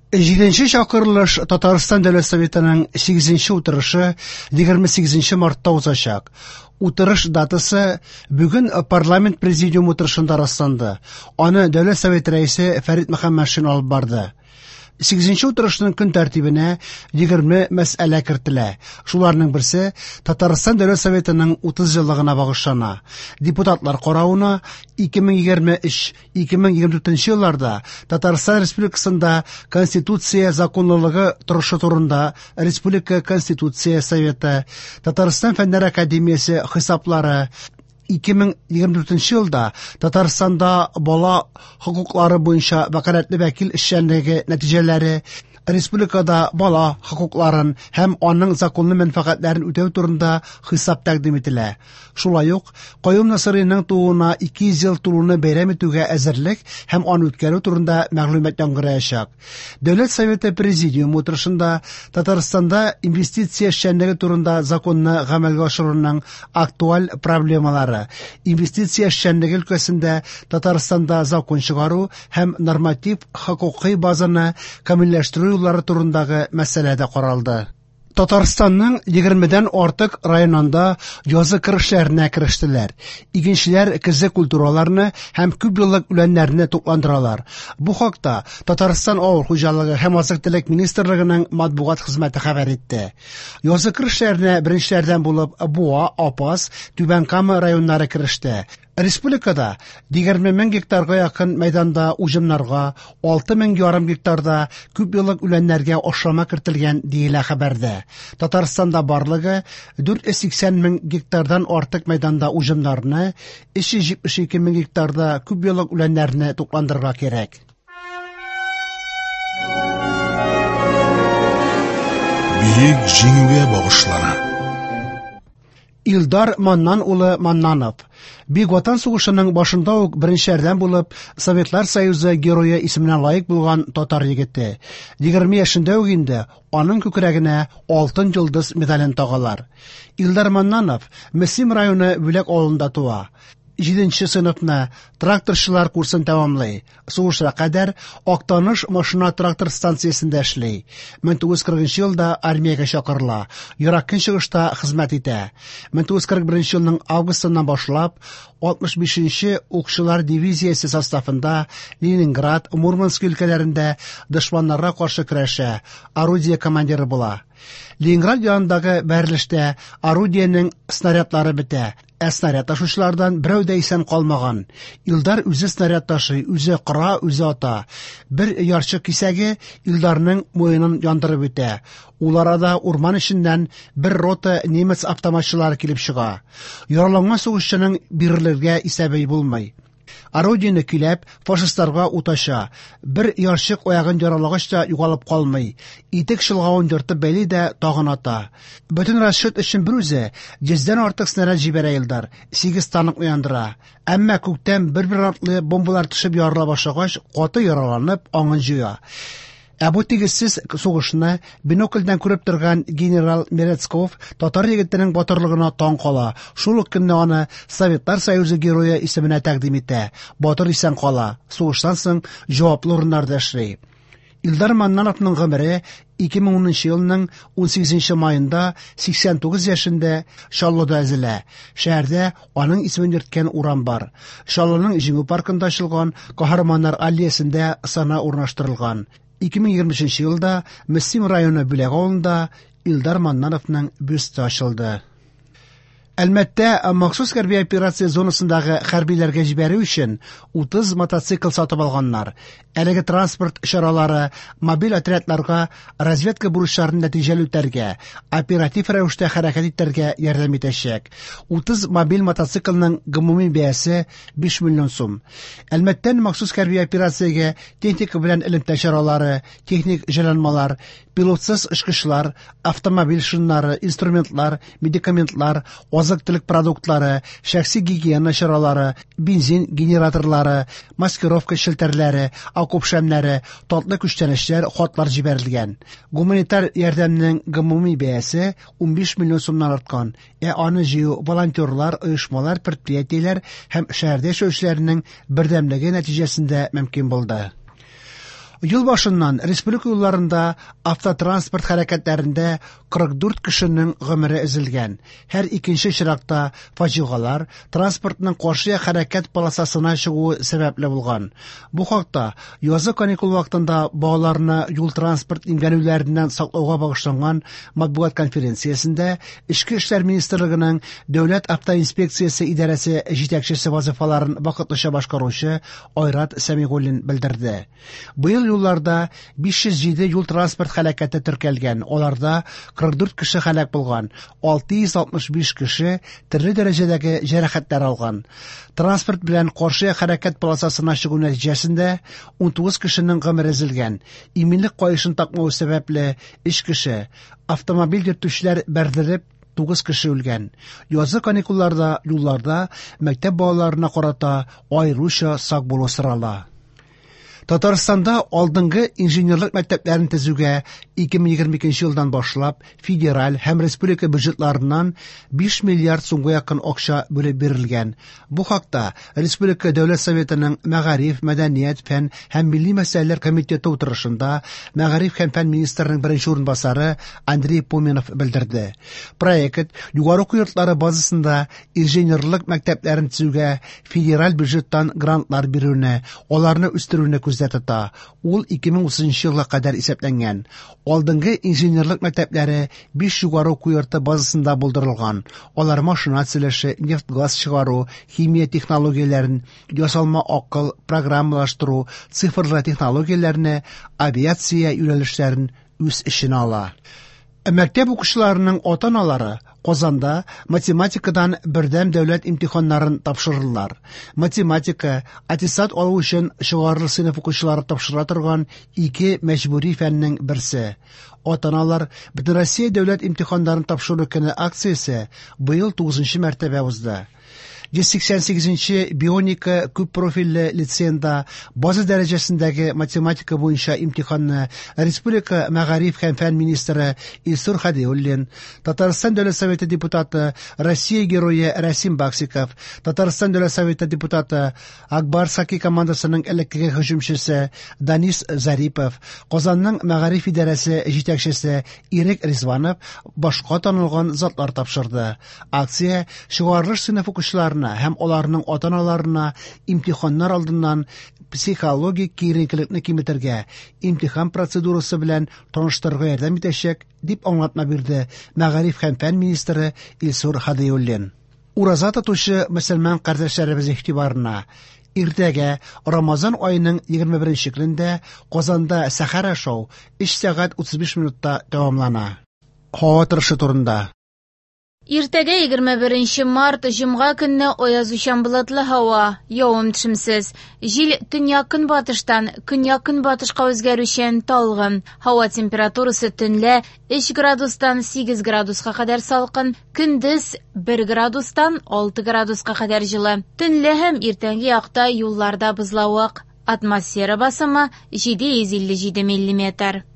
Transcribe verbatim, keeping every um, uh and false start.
Җиденче чакырылыш Татарстан Дәүләт Советының сигезенче утырышы егерме сигезенче мартта узачак. Утырыш датасы бүген парламент президиум утырышында расланды. Аны Дәүләт Советы рәисе Фәрит Мөхәммәтшин алып барды. Сигезенче утырышның көн тәртибенә егерме мәсьәлә кертелә. Шуларның берсе Татарстан Дәүләт Советының утыз еллыгына багышлана. Депутатлар каравына ике мең егерме өч — ике мең егерме дүртенче елларда Татарстан Республикасында Конституция законлылыгы торышы турында Республика Конституция Советы, Татарстан Фәннәр Академиясе хисаплары, ике мең егерме дүртенче елда Татарстанда бала хокуклары буенча вәкаләтле вәкил эшчәнлеге нәтиҗәләре, республикада бала хокукларын һәм аның законлы мәнфәгатьләрен үтәү турында хисап тәкъдим ителә. Шулай ук Каюм Насыйриның тууына ике йөз ел тулуны бәйрәм итүгә әзерлек һәм аны үткәрү турында мәгълүмат яңгыраячак. Дәүләт Советы Президиумы утырышында Татарстанда инвестиция эшчәнлеге турында законны гамәлгә ашыруның актуаль проблемалары, инвестиция эшчәнлеге өлкәсендә Татарстанда закон чыгару һәм норматив хокукый базаны камилләштерү юллары турындагы мәсьәлә дә каралды. Татарстанның егермедән артык районында язгы кыр эшләренә керештеләр. Игенчеләр көзге культураларны һәм күп еллык үләннәрне тукландыралар. Бу хакта Татарстан Авыл хуҗалыгы һәм азык-төлек министрлыгының матбугат хезмәте хәбәр итте. Язгы кыр эшләренә беренчеләрдән булып Буа, Апас, Түбән Кама районнары кереште. Республикада егерме мең гектарга якын мәйданда уҗымнарга, алты мең ярым гектарда күп еллык үләннәргә ашлама кертелгән, диелә хәбәрдә. Татарстанда барлыгы дүрт йөз сиксән мең гектардан артык мәйданда уҗымнарны, өч йөз җитмеш ике мең гектарда күп еллык үләннәрне тукландырырга кирәк. Бөек җиңүгә багышлана. Илдар Маннан улы Маннанов Бөек Ватан сугышының башында ук беренчеләрдән булып Советлар Союзы герое исеменә лаек булган татар егете. Егерме яшендә үк инде аның күкрәгенә Алтын йолдыз медален тагалар. Илдар Маннанов Мөслим районы Бүләк авылында туа. Җиденче сыйныфны тракторчылар курсын тәмамлый. Сугышка кадәр Актаныш машина-трактор станциясендә эшли. Мең тугыз йөз кырыгынчы елда армиягә чакырыла. Ерак Көнчыгышта хезмәт итә. Мең тугыз йөз кырык беренче елның августыннан башлап алтмыш бишенче укчылар дивизиясе составында Ленинград, Мурманск өлкәләрендә дошманнарга каршы көрәшә, орудие командиры була. Ленинград янындагы бәрелештә орудиенең снарядлары бетә, ә снаряд ташучылардан берәү дә исән калмаган. Илдар үзе снаряд ташый, үзе кора, үзе ата. Бер ярчык кисәге Илдарның муенын яндырып үтә. Ул арада урман эченнән бер рота немец автоматчылары килеп чыга. Яраланган сугышчының бирелергә исәбе булмый. Орудиене көйләп, фашистларга ут ача. Бер ярчык аягын яралагач та югалып калмый. Итек чолгавын ертып бәйли дә тагын ата. Бөтен расчет өчен бер үзе йөздән артык снаряд җибәрә Илдар, сигез танк яндыра. Әмма күктән бер-бер артлы бомбалар төшеп ярыла башлагач, каты яраланып аңын җуя. Ә бу тигезсез сугышны бинокльдән күреп торган генерал Мерецков татар егетенең батырлыгына таң кала. Шул ук көнне аны Советлар Союзы герое исеменә тәкъдим итә. Батыр исән кала. Сугыштан соң җаваплы урыннарда эшли. Илдар Маннановның гомере ике мең унынчы елның унсигезенче майында сиксән тугыз яшендә Чаллыда өзелә. Шәһәрдә аның исемен йөрткән урам бар. Чаллының Җиңү паркында ачылган Каһарманнар аллеясендә сана урнаштырылган. Ике мең егерме өченче елда Мөслим районы Бүләк авылында Илдар Маннановның бюсты ачылды. Әлмәттә махсус хәрби операция зонасындагы хәрбиләргә җибәрү өчен утыз мотоцикл сатып алганнар. Әлеге транспорт чаралары мобиль отрядларга разведка бурычларын нәтиҗәле үтәргә, оператив рәвештә хәрәкәт итәргә ярдәм итәчәк. Утыз мобиль мотоциклның гомуми бәясе биш миллион сум. Әлмәттән махсус хәрби операциягә техника белән элемтә чаралары, техник җайланмалар, пилотсыз очкычлар, автомобиль шиннары, инструментлар, медикаментлар, азык-төлек продуктлары, шәхси гигиена чаралары, бензин генераторлары, маскировка челтәрләре, окоп шәмнәре, татлы күчтәнәчләр, хатлар җибәрелгән. Гуманитар ярдәмнең гомуми бәясе унбиш миллион сумнан арткан. Ә аны җыю волонтерлар, оешмалар, предприятиеләр һәм шәһәрдә яшәүчеләрнең бердәмлеге нәтиҗәсендә мөмкин булды. Ел башыннан республика юлларында автотранспорт хәрәкәтләрендә кырык дүрт кешенең гомере өзелгән. Һәр икенче очракта фаҗигалар транспортның каршы як хәрәкәт полосасына чыгуы сәбәпле булган. Бу хакта язгы каникул вакытында балаларны юл-транспорт имгәнүләреннән саклауга багышланган матбугат конференциясендә Эчке эшләр министрлыгының Дәүләт автоинспекциясе идарәсе җитәкчесе вазифаларын вакытлыча башкаручы Айрат Сәмигуллин белдерде. Быел юлларда биш йөз җиде юл-транспорт һәлакәте теркәлгән, аларда кырык дүрт кеше һәлак булган, алты йөз алтмыш биш кеше төрле дәрәҗәдәге җәрәхәтләр алган. Транспорт белән каршы як хәрәкәт полосасына чыгу нәтиҗәсендә ун тугыз кешенең гомере өзелгән. Иминлек каешын такмау сәбәпле өч кеше, автомобиль йөртүчеләр бәрдереп тугыз кеше үлгән. Язгы каникулларда юлларда мәктәп балаларына карата аеруча сак булу сорала. Татарстанда алдынгы инженерлык мәктәпләрен төзүгә ике мең егерме икенче елдан башлап федераль һәм республика бюджетларыннан биш миллиард сумга якын акча бүлеп бирелгән. Бу хакта Республика Дәүләт Советының Мәгариф, Мәдәният, Фән һәм Милли мәсьәләләр комитеты утырышында Мәгариф һәм фән министрының беренче урынбасары Андрей Поминов белдерде. Проект югары уку йортлары базасында инженерлык мәктәпләрен төзүгә федераль бюджеттан грантлар бирүне, аларны үстерүне күздә тота. Ул ике мең утызынчы елга кадәр исәпләнгән. Алдынгы инженерлык мәктәпләре биш югары уку йорты базасында булдырылган. Алар машина төзелеше, нефть-газ чыгару, химия технологияләрен, ясалма акыл, программалаштыру, цифрлы технологияләрне, авиация юнәлешләрен үз эченә ала. Мәктәп укучыларының ата-аналары Казанда математикадан бердәм дәүләт имтиханнарын тапшырырлар. Математика, аттестат алу өчен чыгарылыш сыйныф укучылары тапшыра торган ике мәҗбүри фәннең берсе. Ата-аналар Бөтенроссия дәүләт имтиханнарын тапшыру көне акциясе быел тугызынчы мәртәбә узды. Йөз сиксән сигезенче бионика күп профильле лицейында база дәрәҗәсендәге математика буенча имтиханны Республика мәгариф һәм фән министры Илсур Һадиуллин, Татарстан Дәүләт Советы депутаты, Россия герое Рәсим Баксиков, Татарстан Дәүләт Советы депутаты, Акбарс хоккей командасының элеккеге һөҗүмчесе Данис Зарипов, Казанның мәгариф идарәсе җитәкчесе Ирек Ризванов башка танылган затлар тапшырды. Акция чыгарылыш сыйныф укучыларына һәм аларның ата-аналарына имтиханнар алдыннан психологик киеренкелекне киметергә, имтихан процедурасы белән таныштырырга ярдәм итәчәк, дип аңлатма бирде мәгариф һәм фән министры Илсур Һадиуллин. Ураза тотучы мөселман кардәшләребез игътибарына иртәгә Рамазан аеның егерме беренче көнендә Казанда сәхәр ашау өч сәгать утыз биш минутта тәмамлана. Һава торышы турында. Иртәгә егерме беренче март җомга көнне аязучан болытлы һава, явым-төшемсез. Җил төньяк-көнбатыштан көньяк-көнбатышка үзгәрүчән талгын. Һава температурасы төнлә өч градустан сигез градуска кадәр салкын, көндез бер градустан алты градуска кадәр җылы. Төнлә һәм иртәнге якта юлларда бозлавык. Атмосфера басымы җиде йөз илле җиде миллиметр.